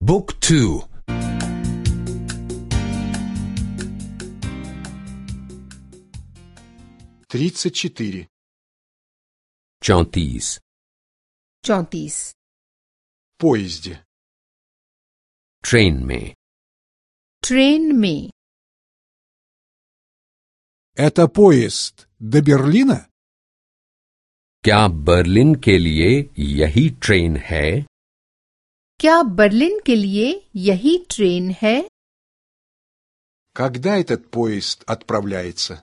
Book 2. 34. 34. 34. Поезде. Train में. Train में. Это поезд до Берлина? क्या बर्लिन के लिए यही ट्रेन है? क्या बर्लिन के लिए यही ट्रेन है? Когда этот поезд отправляется?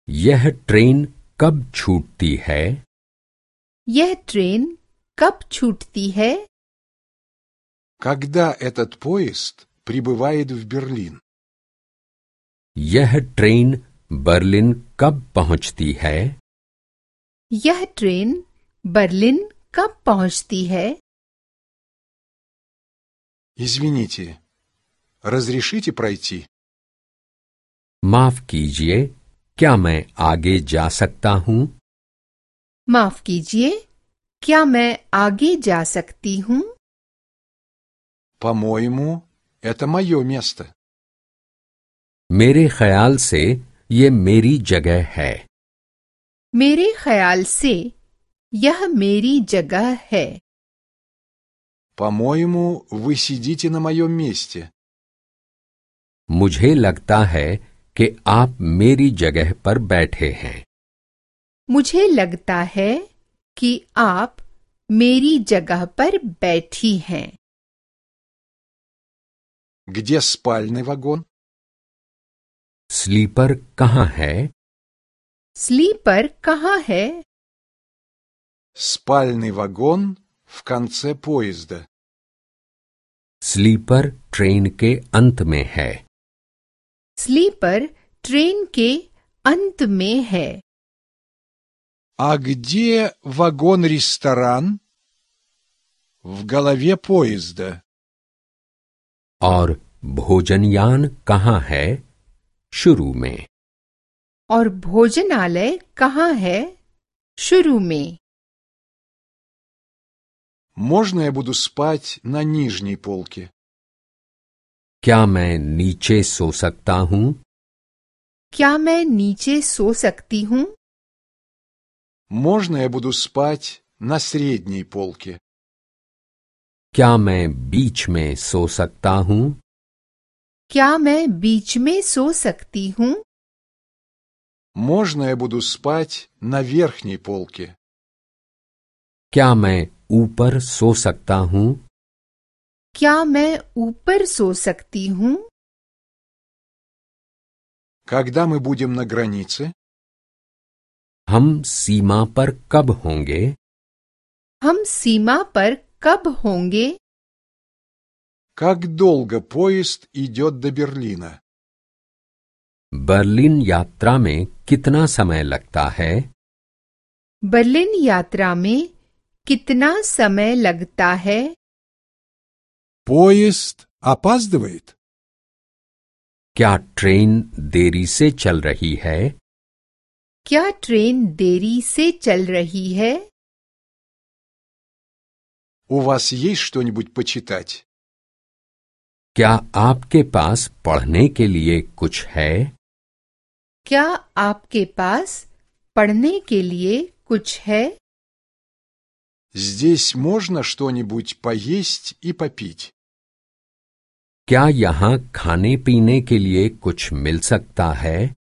यह ट्रेन कब छूटती है? यह ट्रेन कब छूटती है? Когда этот поезд прибывает в Берлин? यह ट्रेन बर्लिन कब पहुंचती है? यह ट्रेन बर्लिन कब पहुंचती है? Извините, разрешите пройти? माफ कीजिए, क्या मैं आगे जा सकता हूं? माफ कीजिए, क्या मैं आगे जा सकती हूँ? По-моему, это мое место. मेरे ख्याल से ये मेरी जगह है. मेरे ख्याल से यह मेरी जगह है. По-моему, вы сидите на моем месте. मुझे लगता है कि आप मेरी जगह पर बैठे हैं. मुझे लगता है कि आप मेरी जगह पर बैठी हैं. Где спальный вагон? स्लीपर कहाँ है? स्लीपर कहाँ है? Спальный вагон в конце поезда. स्लीपर ट्रेन के अंत में है. स्लीपर ट्रेन के अंत में है. А где вагон-ресторан? В голове поезда. और भोजनयान कहाँ है? शुरू में. और भोजनालय कहाँ है? शुरू में. Можно я буду спать на нижней полке? क्या मैं नीचे सो सकता हूँ? क्या मैं नीचे सो सकती हूँ? Можно я буду спать на средней полке? क्या मैं बीच में सो सकता हूँ? क्या मैं बीच में सो सकती हूँ? Можно я буду спать на верхней полке? क्या मैं ऊपर सो सकता हूँ? क्या मैं ऊपर सो सकती हूँ? Когда мы будем на границе? हम सीमा पर कब होंगे? हम सीमा पर कब होंगे? Как долго поезд идет до Берлина? बर्लिन यात्रा में कितना समय लगता है? बर्लिन यात्रा में कितना समय लगता है? Поезд опаздывает? क्या ट्रेन देरी से चल रही है? क्या ट्रेन देरी से चल रही है? У вас есть что-нибудь почитать? क्या आपके पास पढ़ने के लिए कुछ है? क्या आपके पास पढ़ने के लिए कुछ है? Здесь можно что-нибудь поесть и попить? क्या यहाँ खाने पीने के लिए कुछ मिल सकता है?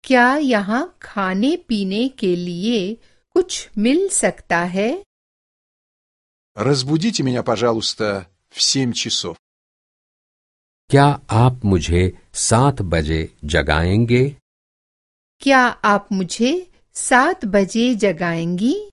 क्या यहाँ खाने पीने के लिए कुछ मिल सकता है? Разбудите меня, пожалуйста, в 7 часов. क्या आप मुझे 7 बजे जगाएंगे? क्या आप मुझे 7 बजे जगाएंगी?